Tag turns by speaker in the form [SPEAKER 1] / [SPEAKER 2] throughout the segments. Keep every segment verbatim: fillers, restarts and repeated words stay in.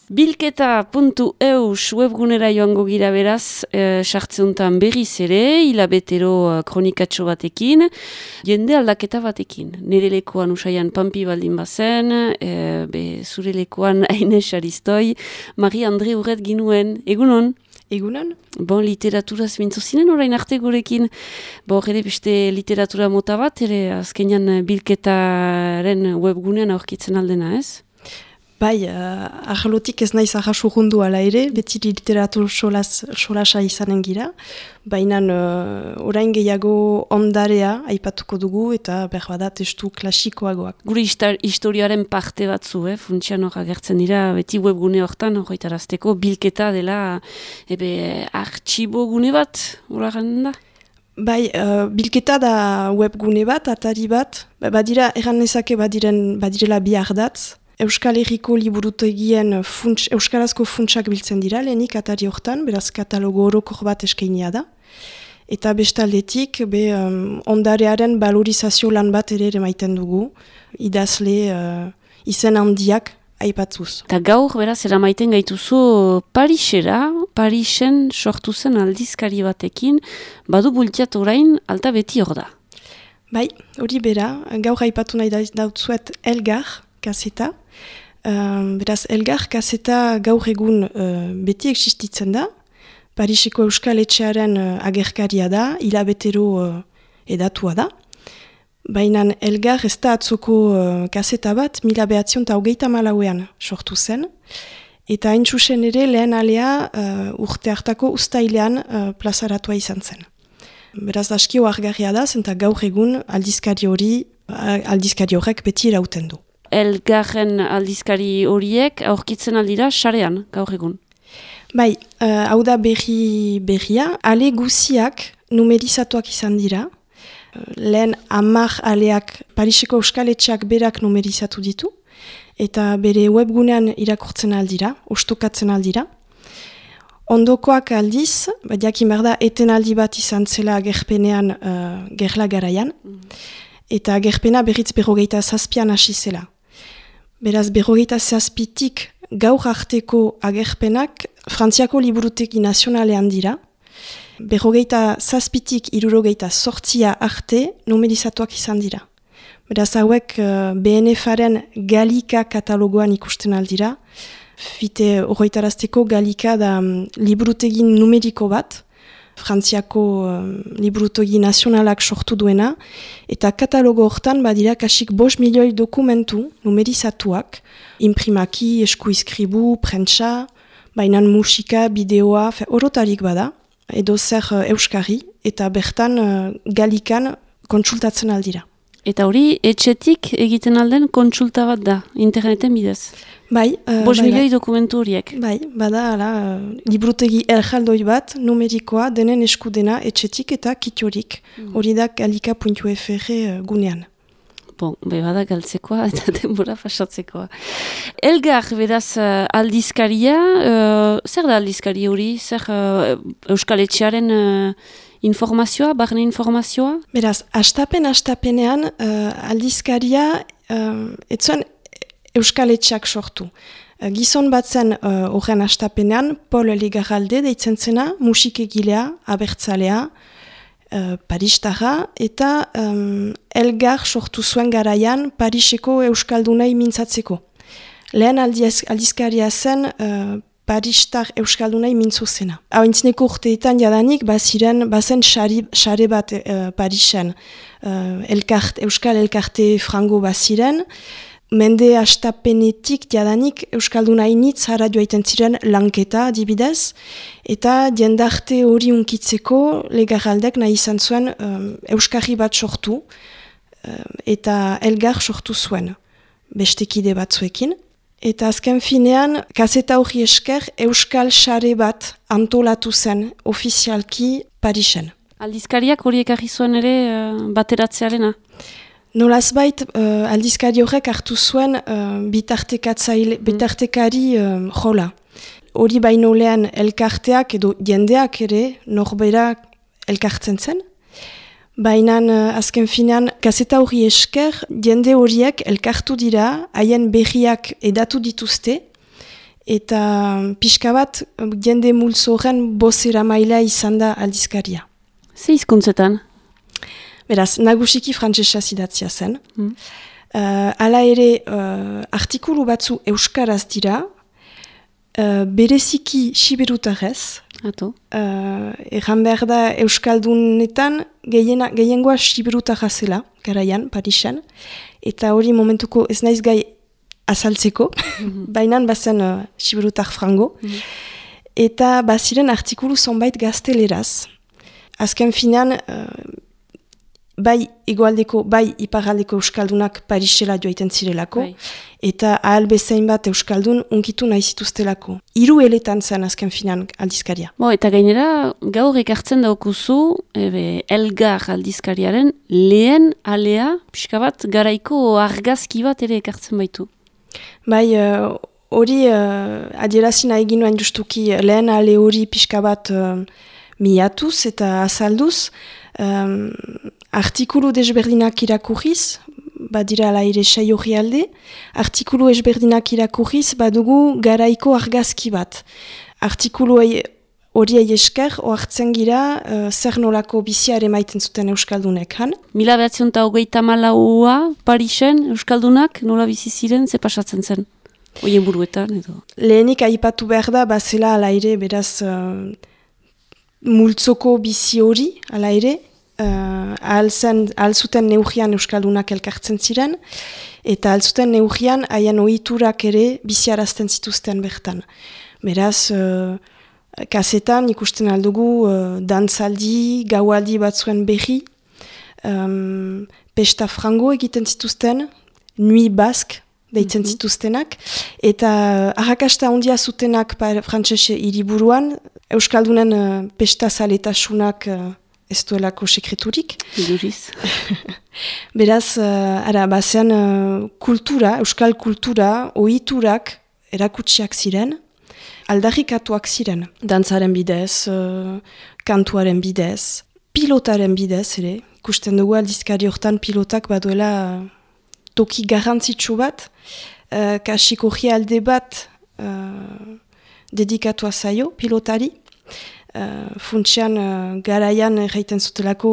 [SPEAKER 1] Bilketa puntu eus webgunera joango gira beraz, e, sartzeuntan berriz ere, hilabetero kronikatxo batekin, jende aldaketa batekin. Nire lekuan usaian Pampi baldin bazen, e, be, zure lekuan Aines Aristoi, Marie-Andre Urret ginuen, egunon?
[SPEAKER 2] Egunon?
[SPEAKER 1] Bon, literaturaz mintzo zinen orain arte gurekin, bo, ere beste literatura mota bat, ere azkenean bilketaren webgunean aurkitzen aldena, ez?
[SPEAKER 2] Bai, uh, arlotik ez naiz arrasurrundu ala ere, beti literatur solas, solasa izanen gira, baina uh, orain gehiago ondarea aipatuko dugu eta berbada testu klasikoagoak.
[SPEAKER 1] Gure historiaren parte batzu, eh? Funtsian hor agertzen dira, beti webgune hortan horretarazteko bilketa dela ebe artxibo gune bat, hori garen da?
[SPEAKER 2] Bai, uh, bilketa da webgune bat, atari bat, badira, erran nezake badiren, badirela bi ardatz. Euskal Herriko liburutegien funts, euskarazko funtsak biltzen dira, lehenik atari hortan, beraz katalogo orokor bat eskainia da. Eta bestaldetik, be, um, ondarearen valorizazio lan bat ere emaiten dugu, idazle uh, izen handiak aipatzuz.
[SPEAKER 1] Eta gaur, beraz, eramaiten gaituzu Parisera, Parisen sortu zen aldizkari batekin, badu bultiat orain, alta beti hor da.
[SPEAKER 2] Bai, hori bera, gaur aipatu nahi dautzuet Elgar, kaseta. Uh, beraz, Elgar kaseta gaur egun uh, beti existitzen da. Pariseko Euskal Etxearen uh, agerkaria da, hilabetero uh, edatua da. Baina Elgar ez da atzoko uh, kaseta bat, mila behatzion eta hogeita malauean sortu zen. Eta hain txusen ere lehen alea uh, urte hartako ustailean uh, plazaratua izan zen. Beraz, askio argarria da, zenta gaur egun aldizkari hori, uh, aldizkari horrek beti irauten du.
[SPEAKER 1] Elgarren aldizkari horiek aurkitzen aldira sarean, gaur egun.
[SPEAKER 2] Bai, uh, hau da berri berria, ale guziak numerizatuak izan dira. Uh, lehen hamar aleak Pariseko Euskal Etxeak berak numerizatu ditu, eta bere webgunean irakurtzen aldira, ostokatzen aldira. Ondokoak aldiz, jakin behar da, etenaldi bat izan zela gerpenean uh, gerla garaian, mm. Eta gerpena berriz berrogeita zazpian hasi zela. Beraz, berrogeita zazpitik gaur arteko agerpenak Frantziako liburutegi nazionalean dira. Berrogeita zazpitik irurogeita sortzia arte numerizatuak izan dira. Beraz, hauek uh, B N F-aren Galika katalogoan ikusten aldira. Fite horretarazteko Galika da um, liburutegi numeriko bat, Frantziako um, liburutegi nazionalak sortu duena, eta katalogo hortan badira kasik bost milioi dokumentu numerizatuak, imprimaki, eskuizkribu, prentsa, bainan musika, bideoa, orotarik bada, edo zer uh, euskari, eta bertan uh, Galikan kontsultatzen aldira.
[SPEAKER 1] Eta hori, etxetik egiten alden kontsulta bat da, interneten bidez.
[SPEAKER 2] Bai. Uh,
[SPEAKER 1] Bos
[SPEAKER 2] bai,
[SPEAKER 1] milioi
[SPEAKER 2] bai.
[SPEAKER 1] dokumentu horiek.
[SPEAKER 2] Bai, bada, ala, uh, liburutegi erjaldoi bat, numerikoa, denen eskudena, etxetik eta kitiorik. Hori mm. da galika puntu f r uh, gunean.
[SPEAKER 1] Bon, be bada galtzekoa eta denbora pasatzekoa. Elgar, beraz, uh, aldizkaria, uh, zer da aldizkari hori? Zer uh, Euskal Etxearen uh, informazioa, barne informazioa?
[SPEAKER 2] Beraz, astapen-astapenean uh, aldizkaria uh, etzuen Euskal Etxeak sortu. Uh, gizon bat zen horren uh, astapenean, Paul Legarralde deitzen zena, musikegilea, abertzalea, uh, Paristarra, eta um, Elgar sortu zuen garaian Pariseko Euskaldunai mintzatzeko. Lehen aldiz, aldizkaria zen uh, Paristar Euskaldunai mintzo zena. Hauintzineko urteetan jadanik, baziren, bazen xare bat uh, Parisen. Uh, elkart, Euskal Elkarte frango baziren, mende astapenetik jadanik Euskaldunai nitz harra joaiten ziren lanketa adibidez, eta jendarte hori unkitzeko Legarraldek nahi izan zuen um, Euskarri bat sortu, uh, eta Elgar sortu zuen, bestekide batzuekin. Eta azken finean, kaseta hori esker, Euskal Sare bat antolatu zen ofizialki Parisen.
[SPEAKER 1] Aldizkariak hori ekarri zuen ere uh, bateratzearena?
[SPEAKER 2] Nolazbait, uh, aldizkari horrek hartu zuen uh, bitartekatzaile, bitartekari uh, jola. Hori baino lehen elkarteak edo jendeak ere norbera elkartzen zen. Baina azken finean, kaseta hori esker, jende horiek elkartu dira, haien berriak edatu dituzte, eta pixka bat jende multzo horren bozera maila izan da aldizkaria.
[SPEAKER 1] Ze hizkuntzetan?
[SPEAKER 2] Beraz, nagusiki frantsesa idatzia zen.
[SPEAKER 1] Mm.
[SPEAKER 2] Uh, hala ere, uh, artikulu batzu euskaraz dira, uh, bereziki siberutarrez.
[SPEAKER 1] Ato.
[SPEAKER 2] Uh, Egan behar da euskaldunetan gehiena, gehiengoa siberutarra zela, garaian, Parisen. Eta hori momentuko ez naiz gai azaltzeko, mm-hmm. baina bazen uh, siberutar frango. Mm-hmm. Eta baziren artikulu zonbait gazteleraz. Azken finan, uh, bai egoaldeko, bai iparaldeko euskaldunak Parisela joaiten zirelako, bai. Eta ahal bezain bat euskaldun unkitu nahi zituztelako. Hiru eletan zen azken finan aldizkaria.
[SPEAKER 1] Bo, eta gainera, gaur ekartzen daukuzu, ebe, Elgar aldizkariaren lehen alea, pixka bat, garaiko argazki bat ere ekartzen baitu.
[SPEAKER 2] Bai, hori uh, uh, adierazi nahi ginoen justuki lehen ale hori pixka bat uh, miatuz eta azalduz, um, artikulu desberdinak irakurriz, badira ala ere sei hori alde, artikulu ezberdinak irakurriz badugu garaiko argazki bat. Artikulu hori esker, oartzen gira uh, zer nolako bizia ere maiten zuten euskaldunek han.
[SPEAKER 1] Mila behatzion eta hogeita malaua Parisen euskaldunak nola bizi ziren, ze pasatzen zen? Oien buruetan edo?
[SPEAKER 2] Lehenik aipatu behar da, bazela ala ere, beraz, uh, multzoko bizi hori, ala ere, Uh, ahal zuten neugian euskaldunak elkartzen ziren, eta ahal zuten neugian haien ohiturak ere biziarazten zituzten bertan. Beraz, uh, kasetan ikusten aldugu uh, dantzaldi, gaualdi batzuen berri, um, pesta frango egiten zituzten, nui bask deitzen mm-hmm. zituztenak, eta uh, arrakasta handia zutenak frantsese hiriburuan, euskaldunen uh, pesta zaletasunak uh, ez duelako sekreturik.
[SPEAKER 1] Iduriz.
[SPEAKER 2] Beraz, uh, ara, bazen uh, kultura, euskal kultura, ohiturak erakutsiak ziren, aldarrikatuak ziren. Dantzaren bidez, uh, kantuaren bidez, pilotaren bidez ere. Ikusten dugu aldizkari hortan pilotak baduela uh, toki garrantzitsu bat, uh, kasikoria alde bat uh, dedikatua zaio pilotari. Uh, Funtsean uh, garaian erraiten zutelako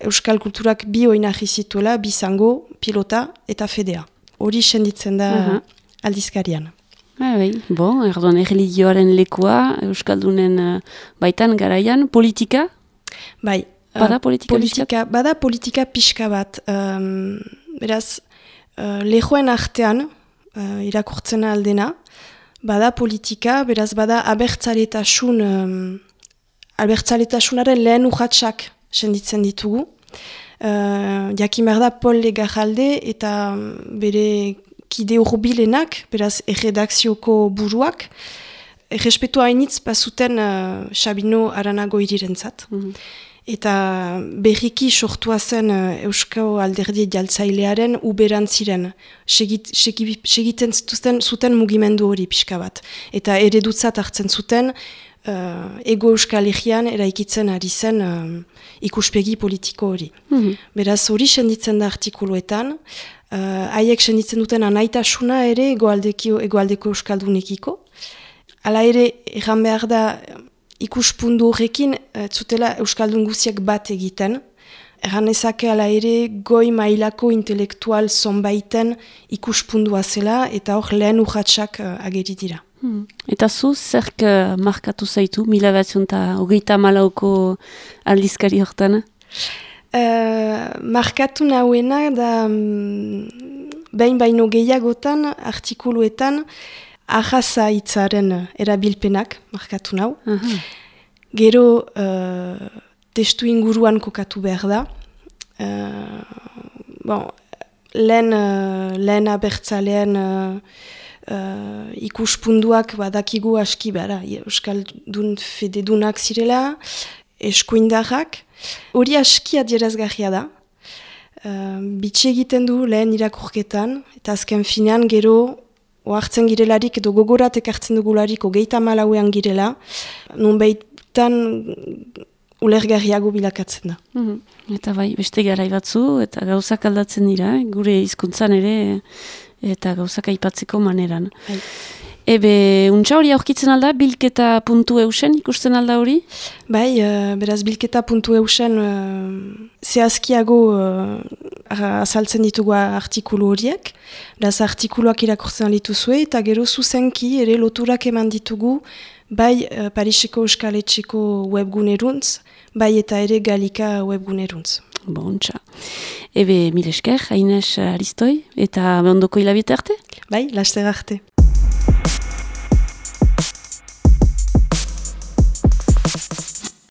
[SPEAKER 2] euskal kulturak bi oinarri zituela, bi zango, pilota eta fedea. Hori senditzen da uh-huh. aldizkarian.
[SPEAKER 1] Ah, bai. Bon, erdoan erreligioaren lekua, euskaldunen uh, baitan garaian, politika?
[SPEAKER 2] Bai. Uh,
[SPEAKER 1] bada politika,
[SPEAKER 2] politika Bada politika pixka bat. Um, beraz, uh, lehoen artean, uh, irakurtzen aldena, bada politika, beraz bada abertzaletasun... Um, Albertzaletasunaren lehen urratsak senditzen ditugu. Uh, Jakin behar da Paul Legarralde eta bere kide hurbilenak, beraz erredakzioko buruak, errespetu hainitz bazuten uh, Sabino Aranago irirentzat. Mm-hmm. Eta berriki sortua zen uh, Euskal Alderdi Jaltzailearen uberantziren. Segit, segi, segiten zuten, zuten mugimendu hori pixka bat. Eta eredutzat hartzen zuten, Uh, ego euskal egian eraikitzen ari zen uh, ikuspegi politiko hori. Mm-hmm. Beraz hori senditzen da artikuluetan, haiek uh, senditzen duten anaitasuna ere egoaldeko, egoaldeko euskaldunekiko. Hala ere, erran behar da ikuspundu horrekin uh, zutela euskaldun guziak bat egiten. Erran ezake hala ere goi mailako intelektual zonbaiten ikuspundua zela eta hor lehen urratsak uh, ageri dira.
[SPEAKER 1] Hmm. Eta zu, zerk uh, markatu zaitu, mila batzion eta hogeita malauko aldizkari hortan?
[SPEAKER 2] Uh, markatu nahuena da um, behin baino gehiagotan, artikuluetan, ahaza hitzaren erabilpenak markatu nahu. Uh-huh. Gero uh, testu inguruan kokatu behar da. Uh, bon, lehen, uh, lehen abertzalean uh, Uh, ikuspunduak badakigu aski bara, euskaldun fededunak zirela, eskuindarrak, hori aski adierazgarria da. Uh, bitxe egiten du lehen irakurketan, eta azken finean gero ohartzen girelarik edo gogorat ekartzen dugularik hogeita malauean girela, nun behitan ulergarriago bilakatzen da.
[SPEAKER 1] Mm-hmm. Eta bai, beste garai batzu, eta gauzak aldatzen dira, gure hizkuntzan ere, eta gauzak aipatzeko maneran. Hai. Ebe, untxa hori aurkitzen alda, bilketa puntu eusen ikusten alda hori?
[SPEAKER 2] Bai, uh, beraz bilketa puntu eusen uh, zehazkiago uh, azaltzen ditugu artikulu horiek. Beraz artikuluak irakurtzen dituzue eta gero zuzenki ere loturak eman ditugu bai uh, Pariseko Euskaletxeko webguneruntz, bai eta ere Galika webguneruntz.
[SPEAKER 1] Bontxa. Ebe, mil esker, Haines Aristoi, eta ondoko hilabete arte?
[SPEAKER 2] Bai, laster arte.